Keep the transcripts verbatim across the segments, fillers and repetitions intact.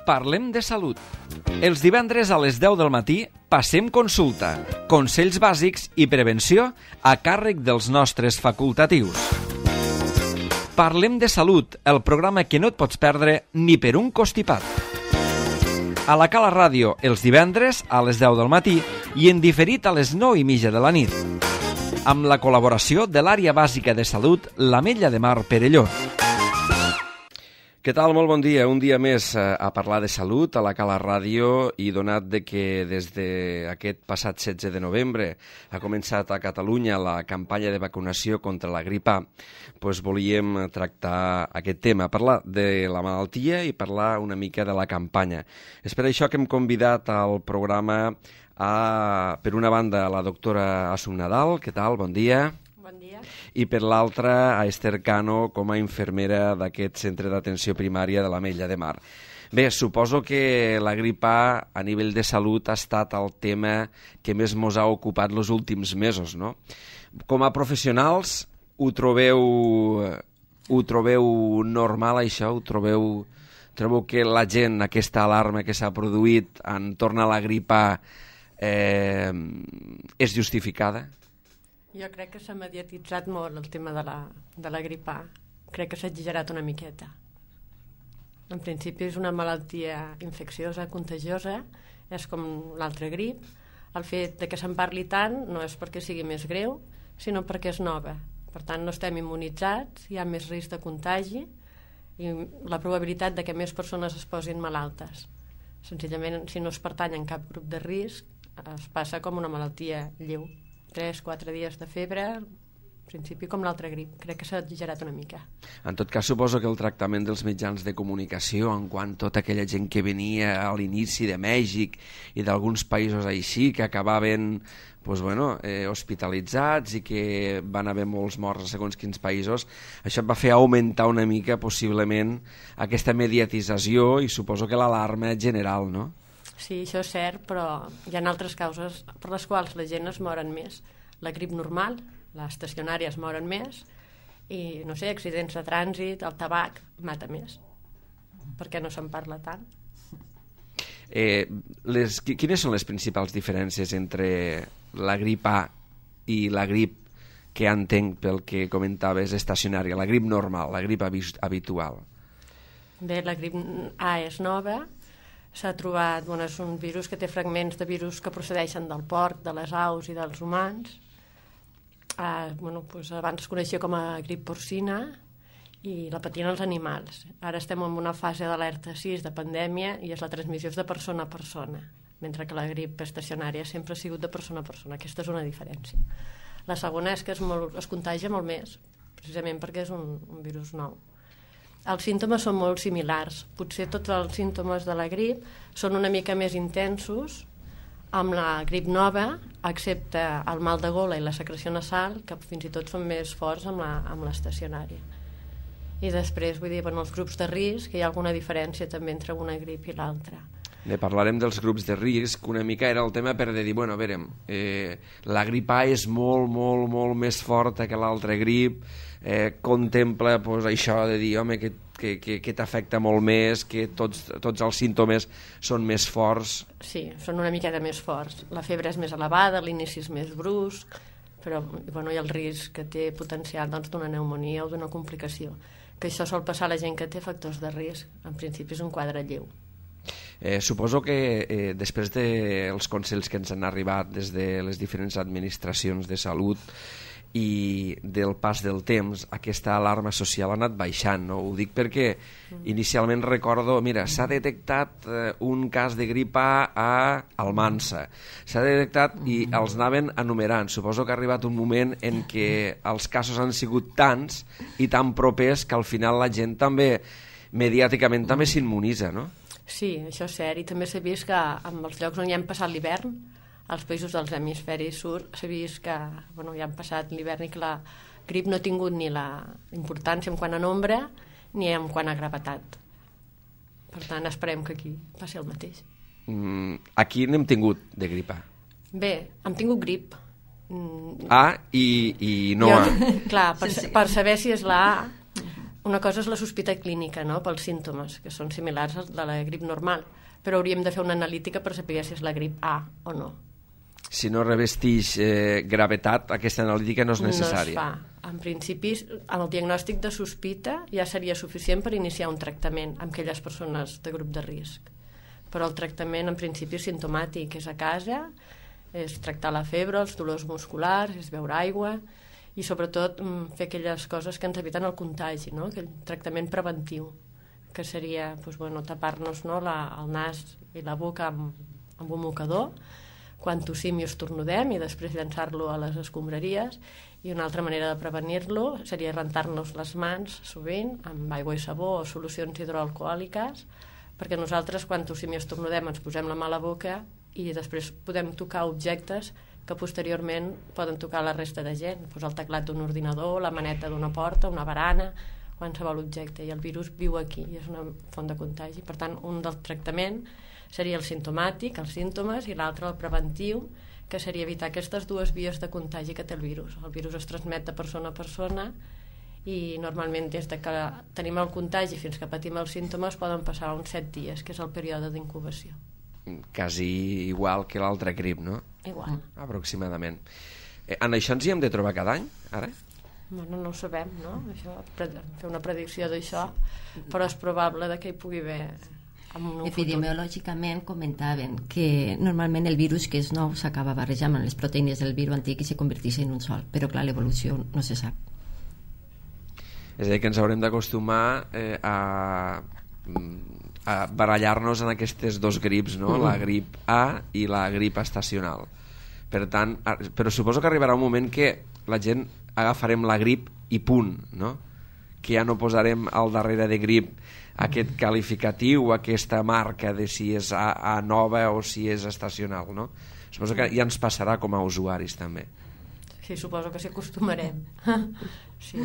Parlem de salut. Els divendres a les deu del matí passem consulta, consells bàsics i prevenció a càrrec dels nostres facultatius. Parlem de salut, el programa que no et pots perdre ni per un costipat. A la Cala Ràdio, els divendres a les deu del matí i en diferit a les nou i mitja de la nit. Amb la col·laboració de l'Àrea Bàsica de Salut, l'Ametlla de Mar Perelló. Què tal? Molt bon dia. Un dia més a parlar de salut a la Cala Ràdio i donat de que des d'aquest passat setze de novembre ha començat a Catalunya la campanya de vacunació contra la grip A, doncs volíem tractar aquest tema, parlar de la malaltia i parlar una mica de la campanya. És per això que hem convidat al programa a, per una banda, a la doctora Assumpta Nadal. Què tal? Bon dia. Bon dia. I per l'altra, a Esther Cano, com a infermera d'aquest centre d'atenció primària de l'Ametlla de Mar. Bé, suposo que la grip A a nivell de salut ha estat el tema que més mos ha ocupat els últims mesos, no? Com a professionals, ho trobeu, ho trobeu normal, això? Ho trobeu, trobeu que la gent, aquesta alarma que s'ha produït entorn a la grip A, eh, és justificada? Jo crec que s'ha mediatitzat molt el tema de la, de la grip A. Crec que s'ha exagerat una miqueta. En principi és una malaltia infecciosa, contagiosa, és com l'altra grip. El fet de que se'n parli tant no és perquè sigui més greu, sinó perquè és nova. Per tant, no estem immunitzats, hi ha més risc de contagi i la probabilitat de que més persones es posin malaltes. Senzillament, si no es pertany en cap grup de risc, es passa com una malaltia lleu. tres quatre dies de febre, en principi com l'altra grip. Crec que s'ha exagerat una mica. En tot cas, suposo que el tractament dels mitjans de comunicació, en quant tota aquella gent que venia a l'inici de Mèxic i d'alguns països així, que acabaven pues, bueno, eh, hospitalitzats i que van haver molts morts a segons quins països, això va fer augmentar una mica, possiblement, aquesta mediatització i suposo que l'alarma general, no? Sí, això és cert, però hi ha altres causes per les quals la gent es moren més. La grip normal, les estacionàries moren més i, no sé, accidents de trànsit, el tabac mata més. Per què no se'n parla tant? Eh, les, quines són les principals diferències entre la grip A i la grip que entenc pel que comentaves estacionària, la grip normal, la grip habitual? Bé, la grip A és nova. S'ha trobat, bueno, és un virus que té fragments de virus que procedeixen del porc, de les aus i dels humans. Ah, bueno, doncs abans es coneixia com a grip porcina i la patien els animals. Ara estem en una fase d'alerta sis de pandèmia i és la transmissió de persona a persona, mentre que la grip estacionària sempre ha sigut de persona a persona. Aquesta és una diferència. La segona és que es, molt, es contagia molt més, precisament perquè és un, un virus nou. Els símptomes són molt similars. Potser tots els símptomes de la grip són una mica més intensos amb la grip nova, excepte el mal de gola i la secreció nasal, que fins i tot són més forts amb la, amb l'estacionària. I després, vull dir, en els grups de risc hi ha alguna diferència també entre una grip i l'altra. Bé, parlarem dels grups de risc, una mica era el tema per dir, bueno, a veure, eh, la grip A és molt, molt, molt més forta que l'altra grip, eh, contempla pues, això de dir, home, que, que, que, que t'afecta molt més, que tots, tots els símptomes són més forts. Sí, són una miqueta més forts. La febre és més elevada, l'inici és més brusc, però bueno, hi ha el risc que té potencial doncs, d'una pneumonia o d'una complicació, que això sol passar a la gent que té factors de risc. En principi és un quadre lleu. Eh, suposo que eh, després dels de consells que ens han arribat des de les diferents administracions de salut i del pas del temps, aquesta alarma social ha anat baixant, no? Ho dic perquè inicialment recordo, mira, s'ha detectat eh, un cas de grip A a Almansa, s'ha detectat i els anaven enumerant. Suposo que ha arribat un moment en què els casos han sigut tants i tan propers que al final la gent també, mediàticament, també s'immunitza, no? Sí, això és cert, i també s'ha vist que en els llocs on hi han passat l'hivern, als països dels hemisferis sud, s'ha vist que bueno, hi han passat l'hivern i que la grip no ha tingut ni la importància en quant a nombre ni en quant a gravetat. Per tant, esperem que aquí passi el mateix. Mm, aquí n'hem tingut de grip A? Bé, hem tingut grip. A i, i no jo, A. Clar, per, per saber si és la A, una cosa és la sospita clínica, no?, pels símptomes, que són similars als de la grip normal, però hauríem de fer una analítica per saber si és la grip A o no. Si no revesteix eh, gravetat, aquesta analítica no és necessària. No es fa. En principi, amb el diagnòstic de sospita ja seria suficient per iniciar un tractament amb aquelles persones de grup de risc. Però el tractament, en principi, és simptomàtic, és a casa, és tractar la febre, els dolors musculars, és beure aigua i, sobretot, fer aquelles coses que ens eviten el contagi, no?, aquell tractament preventiu, que seria doncs, bueno, tapar-nos, no?, la, el nas i la boca amb, amb un mocador, quan tossim i estornudem, i després llançar-lo a les escombraries. I una altra manera de prevenir-lo seria rentar-nos les mans sovint amb aigua i sabó o solucions hidroalcohòliques, perquè nosaltres quan tossim i estornudem ens posem la mà a la boca i després podem tocar objectes que posteriorment poden tocar la resta de gent, doncs el teclat d'un ordinador, la maneta d'una porta, una barana, qualsevol objecte, i el virus viu aquí i és una font de contagi. Per tant, un del tractament seria el simptomàtic, els símptomes, i l'altre el preventiu, que seria evitar aquestes dues vies de contagi que té el virus. El virus es transmet de persona a persona i normalment des de que tenim el contagi fins que patim els símptomes poden passar uns set dies, que és el període d'incubació. Quasi igual que l'altra grip, no? Igual. Aproximadament. Eh, en això ens hi hem de trobar cada any, ara? Bueno, no ho sabem, no? Això, fer una predicció d'això, però és probable que hi pugui haver... Epidemiològicament comentaven que normalment el virus que és nou s'acaba barrejant amb les proteïnes del virus antic i se converteix en un sol, però clar, l'evolució no se sap. És a dir, que ens haurem d'acostumar eh, a, a barallar-nos en aquestes dos grips, no? Mm-hmm. La grip A i la grip estacional. Per tant, però suposo que arribarà un moment que la gent agafarem la grip i punt, no? Que ja no posarem al darrere de grip aquest qualificatiu, aquesta marca de si és A, A nova o si és estacional, no? Suposo que ja ens passarà com a usuaris també. Sí, suposo que s'hi acostumarem. Sí,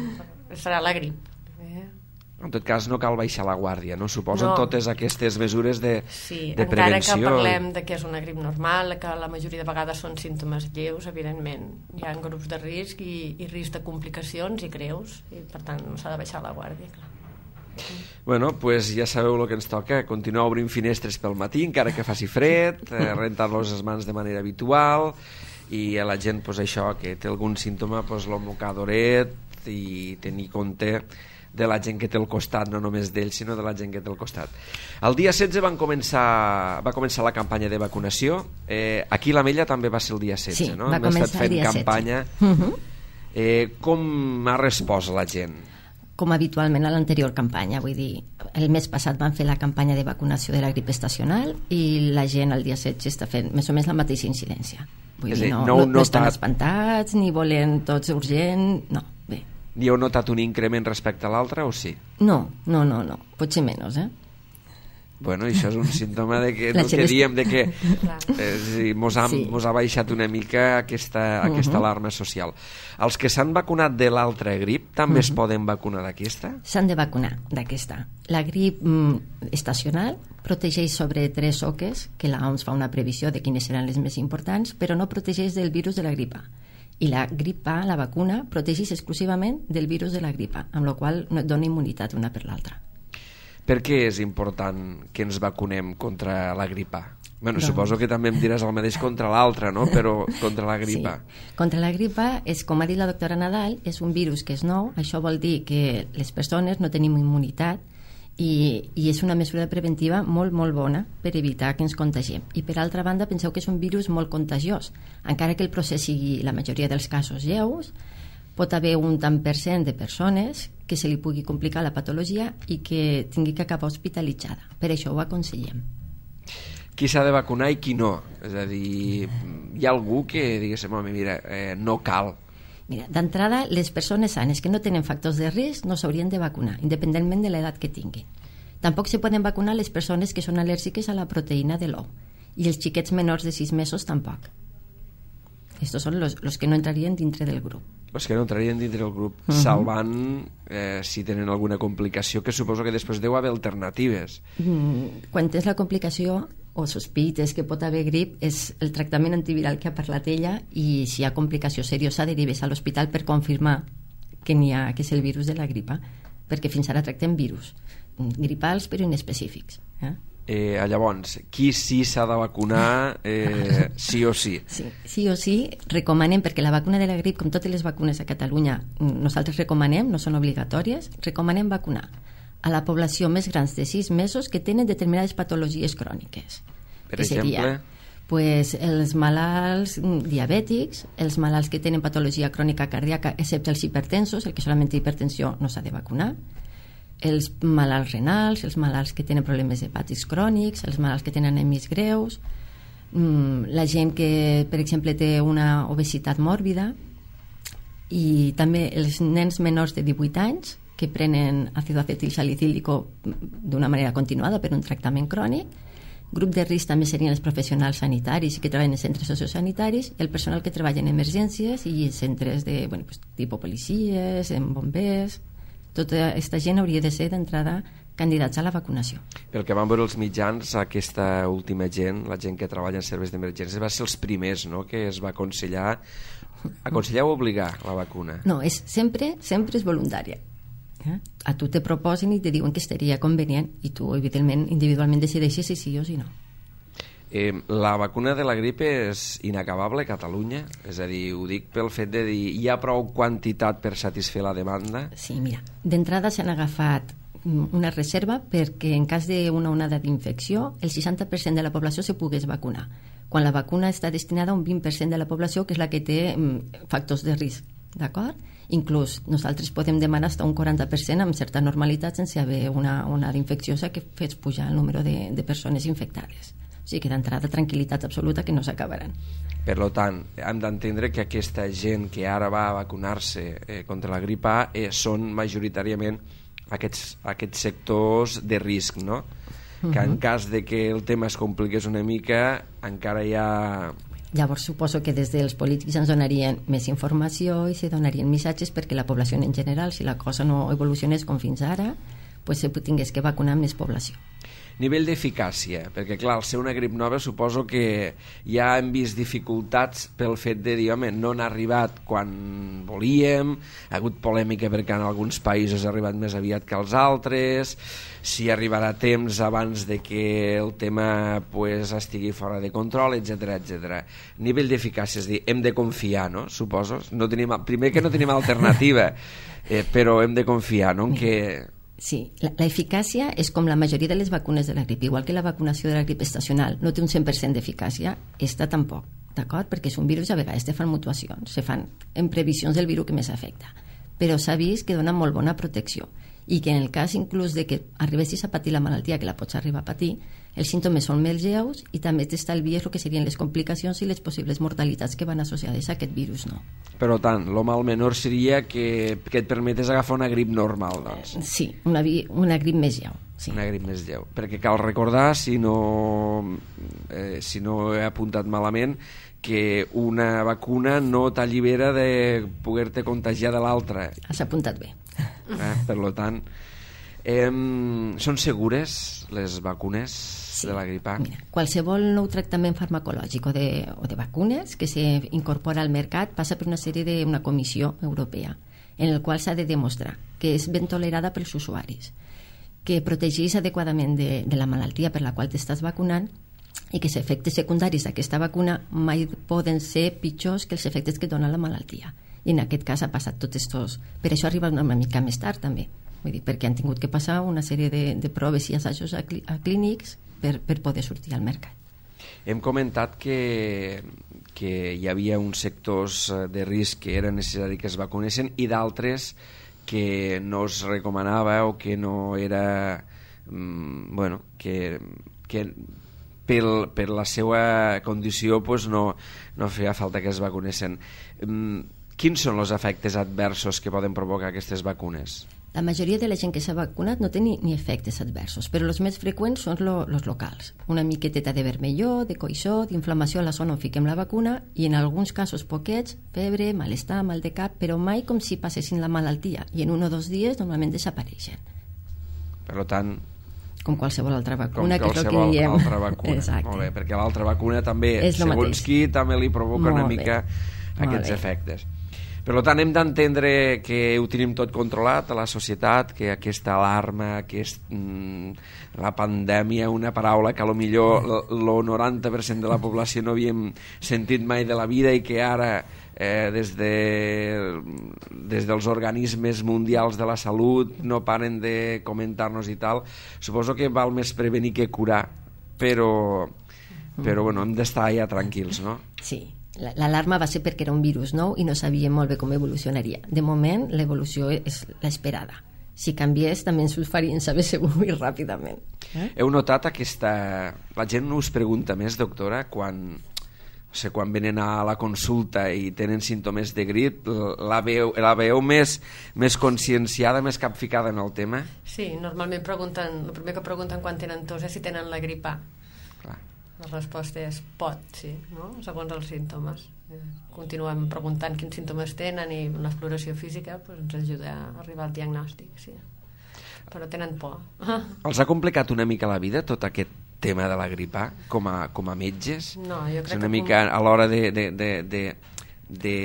serà la grip. Eh? En tot cas, no cal baixar la guàrdia, no? Suposen no. totes aquestes mesures de, sí, de prevenció. Sí, encara que parlem de que és una grip normal, que la majoria de vegades són símptomes lleus, evidentment hi ha grups de risc i, i risc de complicacions i greus, i per tant no s'ha de baixar la guàrdia, clar. Bueno, pues ja sabeu el que ens toca, continuar obrint finestres pel matí encara que faci fred, eh, rentar-los les mans de manera habitual, i a la gent pues, això, que té algun símptoma, pues, el mocadoret, i tenir compte de la gent que té al costat, no només d'ells sinó de la gent que té al costat. El dia setze van començar, va començar la campanya de vacunació. eh, aquí a l'Ametlla també va ser el dia setze, sí, no? Va Hem estat fent el dia campanya. Uh-huh. eh, com ha respost la gent? Com habitualment a l'anterior campanya, vull dir, el mes passat van fer la campanya de vacunació de la grip estacional i la gent el dia setze està fent més o menys la mateixa incidència. Vull dir, no, no, no, no estan espantats ni volen tots urgent, no, bé. Ni heu notat un increment respecte a l'altre o sí? No, no, no, no, potser menys, eh? Bueno, això és un símptoma de que, no, que diem de que eh, sí, mos, ha, sí. mos ha baixat una mica aquesta, aquesta uh-huh. alarma social. Els que s'han vacunat de l'altra grip també uh-huh. es poden vacunar d'aquesta? S'han de vacunar d'aquesta. La grip mm, estacional protegeix sobre tres oques, que l'O M S fa una previsió de quines seran les més importants, però no protegeix del virus de la grip A. I la grip A, la vacuna, protegeix exclusivament del virus de la grip A, amb la qual no et dona immunitat una per l'altra. Per què és important que ens vacunem contra la grip A? Bueno, doncs... suposo que també em diràs el mateix contra l'altra, no? Però contra la grip A. Sí. Contra la grip A, és, com ha dit la doctora Nadal, és un virus que és nou. Això vol dir que les persones no tenim immunitat i, i és una mesura preventiva molt, molt bona per evitar que ens contagiem. I per altra banda, penseu que és un virus molt contagiós. Encara que el procés sigui, la majoria dels casos, lleus, pot haver un tant per cent de persones que se li pugui complicar la patologia i que tingui que acabar hospitalitzada. Per això ho aconsellem. Qui s'ha de vacunar i qui no? És a dir, hi ha algú que diguéssim, home, mira, eh, no cal. Mira, d'entrada, les persones sanes que no tenen factors de risc no s'haurien de vacunar, independentment de l'edat que tinguin. Tampoc se poden vacunar les persones que són al·lèrgiques a la proteïna de l'ou. I els xiquets menors de sis mesos tampoc. Estos són los, los que no entrarien dintre del grup. Els que no entrarien dintre del grup, uh-huh. salvant eh, si tenen alguna complicació, que suposo que després deu haver alternatives. Mm, quan tens la complicació o sospites que pot haver grip, és el tractament antiviral que ha parlat ella, i si hi ha complicació seriosa derives a l'hospital per confirmar que n'hi ha, que és el virus de la gripa. perquè fins ara tractem virus gripals però inespecífics. Eh? Eh, llavors, qui sí s'ha de vacunar eh, sí o sí? sí? Sí o sí, recomanem, perquè la vacuna de la grip, com totes les vacunes a Catalunya, nosaltres recomanem, no són obligatòries, recomanem vacunar a la població més grans de sis mesos que tenen determinades patologies cròniques. Per que exemple? Seria, pues, els malalts diabètics, els malalts que tenen patologia crònica cardíaca, excepte els hipertensos, el que solament té hipertensió no s'ha de vacunar, els malalts renals, els malalts que tenen problemes hepàtics crònics, els malalts que tenen anèmies greus, la gent que, per exemple, té una obesitat mòrbida, i també els nens menors de divuit anys que prenen àcido acetilsalicílico d'una manera continuada per un tractament crònic. Grup de risc també serien els professionals sanitaris que treballen en centres sociosanitaris, el personal que treballa en emergències i centres de, bueno, pues, tipus policies, en bombers. Tota aquesta gent hauria de ser d'entrada candidats a la vacunació. Pel que van veure els mitjans, aquesta última gent, la gent que treballa en serveis d'emergències, va ser els primers, no?, que es va aconsellar aconsellar o obligar la vacuna. No, és sempre, sempre és voluntària. Eh? A tu te proposen i te diuen que estaria convenient i tu, evidentment, individualment decideixes si sí o si no. Eh, la vacuna de la grip és inacabable a Catalunya? És a dir, ho dic pel fet de dir hi ha prou quantitat per satisfer la demanda? Sí, mira, d'entrada s'han agafat una reserva perquè en cas d'una onada d'infecció el seixanta per cent de la població se pogués vacunar, quan la vacuna està destinada a un vint per cent de la població que és la que té factors de risc, d'acord? Inclús nosaltres podem demanar fins a un quaranta per cent amb certa normalitat sense haver una onada infecciosa que fes pujar el número de, de persones infectades. O sigui que d'entrada tranquil·litat absoluta que no s'acabaran. Per tant, hem d'entendre que aquesta gent que ara va a vacunar-se eh, contra la grip A eh, són majoritàriament aquests, aquests sectors de risc, no? Uh-huh. Que en cas de que el tema es compliqués una mica, encara hi ha... Llavors suposo que des dels polítics ens donarien més informació i se donarien missatges perquè la població en general, si la cosa no evolucionés com fins ara, pues se tingués que vacunar més població. Nivell d'eficàcia, perquè clar, al ser una grip nova suposo que ja hem vist dificultats pel fet de dir, home, no han arribat quan volíem, ha hagut polèmica perquè en alguns països ha arribat més aviat que als altres, si arribarà a temps abans de que el tema pues, estigui fora de control, etcètera, etcètera. Nivell d'eficàcia, és dir, hem de confiar, no? Suposo. No tenim, primer que no tenim alternativa, eh, però hem de confiar, no?, en que... Sí, la, la eficàcia és com la majoria de les vacunes de la grip, igual que la vacunació de la grip estacional no té un cent per cent d'eficàcia, esta tampoc, d'acord? Perquè és un virus i a vegades te fan mutacions, se fan en previsions del virus que més afecta, però s'ha vist que dona molt bona protecció i que en el cas inclús de que arribessis a patir la malaltia, que la pots arribar a patir, els símptomes són més lleus i també t'estalvies el que serien les complicacions i les possibles mortalitats que van associades a aquest virus, no? Per tant, lo mal menor seria que, que et permetés agafar una grip normal, doncs. Sí, una, una grip més lleu. Sí. Una grip més lleu. Perquè cal recordar, si no, eh, si no he apuntat malament, que una vacuna no t'allibera de poder-te contagiar de l'altra. Has apuntat bé. Eh, per tant, eh, són segures les vacunes sí. de la grip A? Mira, qualsevol nou tractament farmacològic o de, o de vacunes que s'incorpora al mercat passa per una sèrie d'una comissió europea en el qual s'ha de demostrar que és ben tolerada pels usuaris, que protegeix adequadament de, de la malaltia per la qual t'estàs vacunant i que els efectes secundaris d'aquesta vacuna mai poden ser pitjors que els efectes que dona la malaltia. I en aquest cas ha passat tots estos... Per això arriba una mica més tard també, vull dir, perquè han tingut que passar una sèrie de, de proves i assajos a, clí a clínics per, per poder sortir al mercat. Hem comentat que, que hi havia uns sectors de risc que era necessari que es vacunessin i d'altres que no es recomanava o que no era... bueno, que... que pel, per la seva condició pues no, no feia falta que es vacunessin. Quins són els efectes adversos que poden provocar aquestes vacunes? La majoria de la gent que s'ha vacunat no té ni, ni efectes adversos, però els més freqüents són lo, los locals. Una miqueteta de vermellor, de coixó, d'inflamació a la zona on fiquem la vacuna i en alguns casos poquets, febre, malestar, mal de cap, però mai com si passessin la malaltia i en un o dos dies normalment desapareixen. Per tant, com qualsevol altra vacuna, com que és el que diem. Altra vacuna. Exacte. Molt bé, perquè l'altra vacuna també, és segons qui, també li provoca Molt una mica bé. aquests efectes. Per tant, hem d'entendre que ho tenim tot controlat a la societat, que aquesta alarma, aquest, mm, la pandèmia, una paraula que a lo millor el noranta per cent de la població no havíem sentit mai de la vida i que ara eh, des, de, des dels organismes mundials de la salut no paren de comentar-nos i tal. Suposo que val més prevenir que curar, però, però bueno, hem d'estar ja tranquils, no? Sí. L'alarma va ser perquè era un virus nou i no sabíem molt bé com evolucionaria. De moment, l'evolució és l'esperada. Si canviés, també ens ho farien saber segur i ràpidament. Eh? Heu notat aquesta... La gent us pregunta més, doctora, quan, o sigui, quan venen a la consulta i tenen símptomes de grip, la veu, la veu més, més conscienciada, més capficada en el tema? Sí, normalment pregunten, el primer que pregunten quan tenen tos és si tenen la grip A. Clar. La resposta és pot, sí, no? Segons els símptomes. Continuem preguntant quins símptomes tenen i la exploració física pues, ens ajuda a arribar al diagnòstic, sí. Però tenen por. Els ha complicat una mica la vida tot aquest tema de la grip A com a, com a metges? No, jo crec és una que... mica a l'hora de, de, de, de, de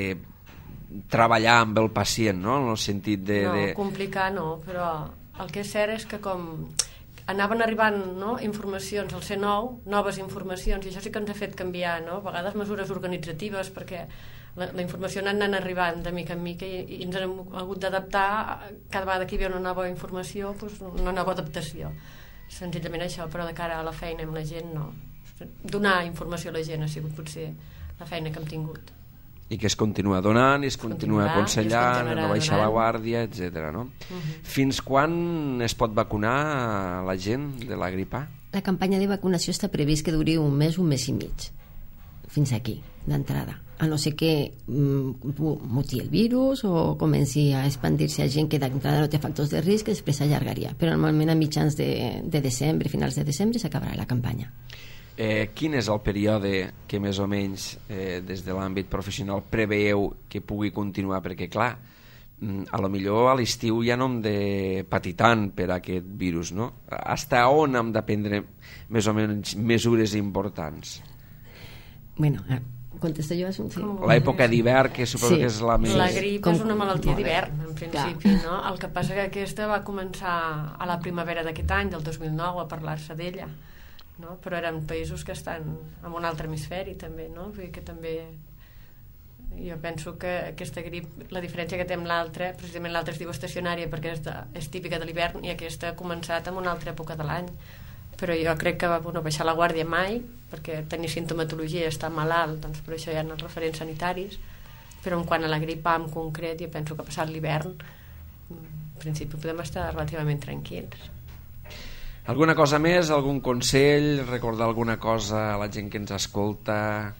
treballar amb el pacient, no? En el sentit de... No, de... complicar no, però el que és cert és que com... anaven arribant no, informacions al C nou, noves informacions, i això sí que ens ha fet canviar, no? A vegades mesures organitzatives, perquè la, la informació ha anat arribant de mica en mica i, i ens hem hagut d'adaptar cada vegada que hi havia una nova informació, doncs una nova adaptació. Senzillament això, però de cara a la feina amb la gent no. Donar informació a la gent ha sigut potser la feina que hem tingut. I que es continua donant, i es continua aconsellant, no baixar la guàrdia, etcètera. No? Uh-huh. Fins quan es pot vacunar la gent de la grip A? La campanya de vacunació està previst que duri un mes, un mes i mig. Fins aquí, d'entrada. A no ser que mm, muti el virus o comenci a expandir-se a gent que d'entrada no té factors de risc, després s'allargaria. Però normalment a mitjans de, de desembre, finals de desembre, s'acabarà la campanya. Eh, quin és el període que més o menys eh, des de l'àmbit professional preveieu que pugui continuar? Perquè clar, a lo millor a l'estiu ja no hem de patir tant per aquest virus, no? Hasta on hem de prendre més o menys mesures importants? Bueno, contesto jo, Assumpció? Sí. L'època d'hivern, que suposo sí. que és la més... La grip Com... és una malaltia d'hivern, en principi, no? El que passa que aquesta va començar a la primavera d'aquest any, del dos mil nou, a parlar-se d'ella. No? Però eren països que estan en un altre hemisferi també, no? Vull dir que també jo penso que aquesta grip, la diferència que té amb l'altra, precisament l'altra es diu estacionària perquè és, de, és típica de l'hivern i aquesta ha començat en una altra època de l'any, però jo crec que va bueno, baixar la guàrdia mai, perquè tenir sintomatologia, estar malalt, doncs per això hi ha els referents sanitaris, però en quant a la grip A en concret jo penso que passat l'hivern en principi podem estar relativament tranquils. Alguna cosa més, algun consell, recordar alguna cosa a la gent que ens escolta,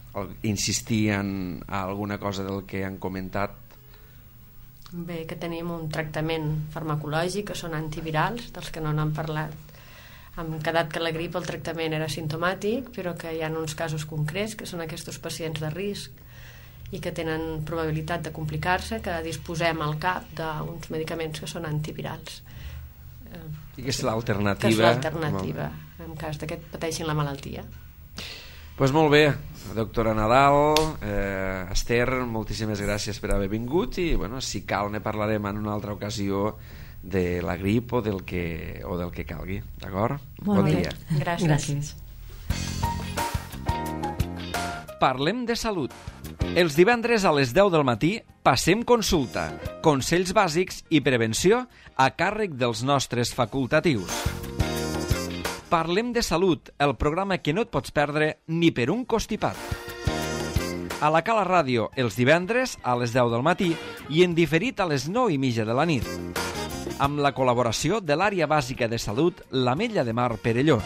insistir en alguna cosa del que han comentat? Bé, que tenim un tractament farmacològic, que són antivirals, dels que no n'han parlat. Hem quedat que la grip el tractament era simptomàtic, però que hi ha uns casos concrets, que són aquests pacients de risc i que tenen probabilitat de complicar-se, que disposem al cap d'uns medicaments que són antivirals. I que és l'alternativa. Que és l'alternativa, en cas que pateixin la malaltia. Doncs pues molt bé, doctora Nadal, eh, Esther, moltíssimes gràcies per haver vingut i bueno, si cal ne parlarem en una altra ocasió de la grip o del que, o del que calgui, d'acord? Bon bé. dia. Gràcies. Gràcies. Parlem de salut. Els divendres a les deu del matí passem consulta, consells bàsics i prevenció a càrrec dels nostres facultatius. Parlem de salut, el programa que no et pots perdre ni per un costipat. A la Cala Ràdio, els divendres a les deu del matí i en diferit a les nou i mitja de la nit. Amb la col·laboració de l'Àrea Bàsica de Salut, l'Ametlla de Mar Perelló.